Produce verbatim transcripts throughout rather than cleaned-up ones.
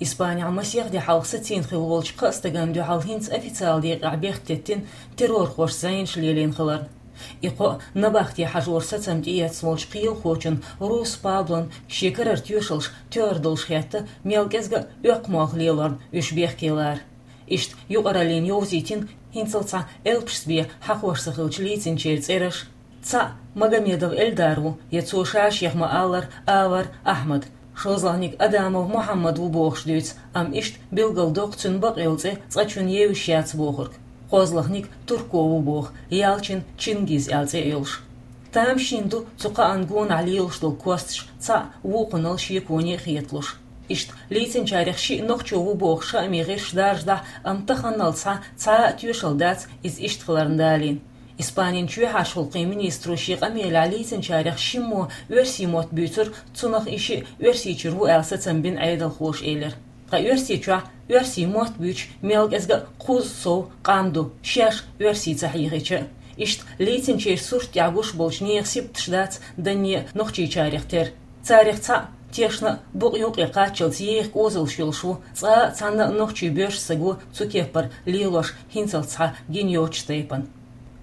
Испанехь масех де хьалха сацийна хилла волчу кхаа стагана дуьхьал хӀинца официалан декъехь бехк теттина террорхоша зӀенаш лелийна хиларна. И кхоъ набахте хьажор сацам тӀеэцна волчу кхелахочун Рус Паблон шен карара тоьшаллаш тоьар долуш хетта, мел кӀезга а оьккху молха лелорна уьш бехке лара. Иштта юкъараллина йовзийтина хӀинцалц цхьа элпашца бен хьахош ца хиллачу лийцинчеран цӀераш. Цхьаъ Магомедов Эльдар ву, я цо ша-шех ма-аллара, Авар Ахьмад. ШолгӀаниг Адамов Мухьаммад ву бохуш дуьйцу, амма иштта билгалдоккху цуьнан бакъйолу цӀе цкъачунна евзаш яц бохург. КхозлагӀниг Турко ву боху, ялчун Чингиз аьлла цӀе а йолуш. Тамашийна ду цу кхаанна гонахь лелаш долу косташ цхьаъ вукхунал шеконе а хеталуш. Иштта лийцинчарех шиъ нохчо ву бохуш хаамийн гӀирсаш даржадахь а, амма таханалц схьа цхьа а тоьшалла дац иза иштта хиларна далийна. Испанин чоьхьарчу гӀуллакхийн министро шен къамелехь лийцинчарех шиммо оьрсийн мотт буьйцура, цунах и шиъ Оьрсийчуьра ву аьлла сацам бина Ӏедалхоша элира. Ткъа Оьрсийчохь оьрсийн мотт буьйцуш мел кӀезга а кхузза сов къам ду, шаьш оьрсий ца хьийхича а. Иштта лийцинчеран сурт тӀехь гуш болчу нехан сибаташ дац данне а нохчийчарех тера. Царех цхьаъ тешна а, букъ юккъе кхаччалц еха кӀозалш йолуш ву, цкъа а цхьанна а нохчийн боьрша стаг ву цу кеппара лелош хӀинцалц схьа гина йоцучу тайпана.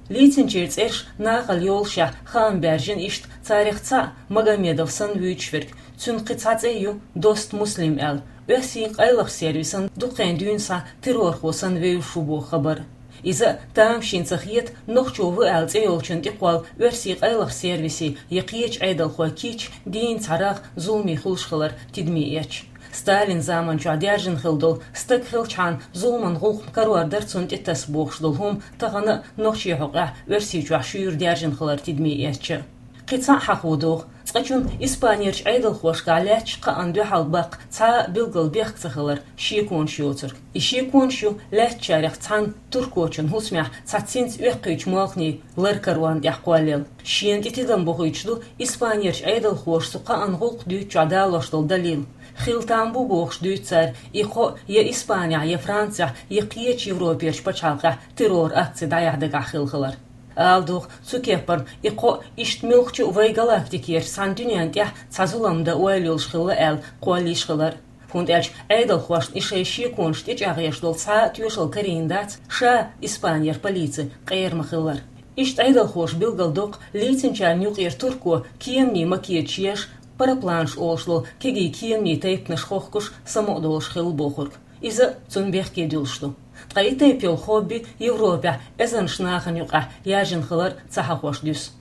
Лийцинчеран цӀераш нахала йолушехь хаам баьржина иштта, царех цхьаъ Магомедов санна вуьйцуш верг, цуьнан кхин цхьа цӀе ю Дост Муслим аьлла, оьрсийн къайлахчу сервисан дукха хан дуьйна схьа террорхо санна вевзаш ву боху хабар. Иза а тамашийна ца хета, нохчо ву аьлла цӀе йолчунна тӀекхолла оьрсийн къайлахчу сервисийн я кхечу Ӏедалхойн кийча дийна цхьа рагӀ зуламе хуьлуш хилар тидаме эцча. Сталин заманчохь даьржина хилла долу, стаг хилчхьана зуламан гӀуллакх карор дара цунна тӀетаса бохуш долу хӀума тахана а нохчийн хьокъехь Оьрсийчохь шуьйра даьржина хилар тидаме эцча. Кхин цхьаъ хьахо догӀу, цкъачунна Испанерчу Ӏедалхошкахь лаьтташ кхаанна дуьхьал баккха цхьа а билггал бехк ца хилар шеконаш йоцург. И шеконаш ю лаьттачарех цхьанна туркочун хӀусамехь цхьацца хӀинца оьккхуьйтучу молханийн лар-карорна тӀехь кхоллаелла. Шена тӀе тидам бохуьйтуш ду Испанерчу Ӏедалхоша цу кхаанна гӀуллакх дуьйцучохь далош долу далил. Хила там бу бохуш дуьйцу цара, и кхоъ я Испанехь, я Францехь, я кхечу Европерчу пачхьалкхехь террор-акци дӀаяхьа дагахь хилла хилар. Ала догӀу, цу кеппара и кхоъ иштта муьлххачу а вайн галактикерчу цхьана дуьненна тӀехь цхьа зулам дан ойла йолуш хилла аьлла кхоллийш хилар. ХӀунда аьлча Ӏедалхошна и шайн шеконаш тӀечӀагӀъеш долу цхьа а тоьшалла карийна дац, ша Испанера полици къера ма-хиллара. Иштта Ӏедалхоша билгалдоккху, лийцинчарна юкъера турко кеманийн макеташ еш, парапланаш олуш долу кегий кеманийн тайпанаш хохкуш, самукъадолуш хилла бохург. Иза а цунна бехке дуьллуш ду. Ткъа и тайпа йолу хобби Европехь эзарнаш нахана юкъахь яьржина хилар ца хьахош дуьсу.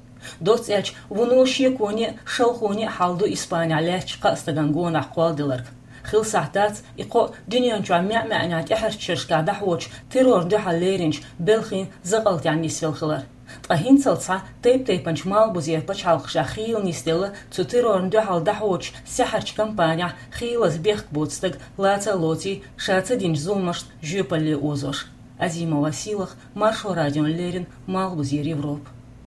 Доцца аьлча, вуно шеконе а, шалхоне а хьал ду Испанехь лаьтташ кхаа стагана гонах кхолладелларг. Хила сахьт дац и кхоъ дуьнен чохь маьӀ-маьӀнехь тӀаьхьарчу шерашкахь дӀахьочу террорна дуьхьал леринчу белхийн закъалтехь нисвелла хилар. Ткъа хӀинцалц схьа тайп-тайпанчу малхбузера пачхьалкхашкахь хийла нисделла цу террорна дуьхьал дӀахьочу саьхьарчу кампанехь хийлаза бехк боцу стаг лаца а лоций, ша ца динчу зуламашна жоьпалле озош. Азимова Сийлаха, Маршо радиона леррина, Малхбузера Европа.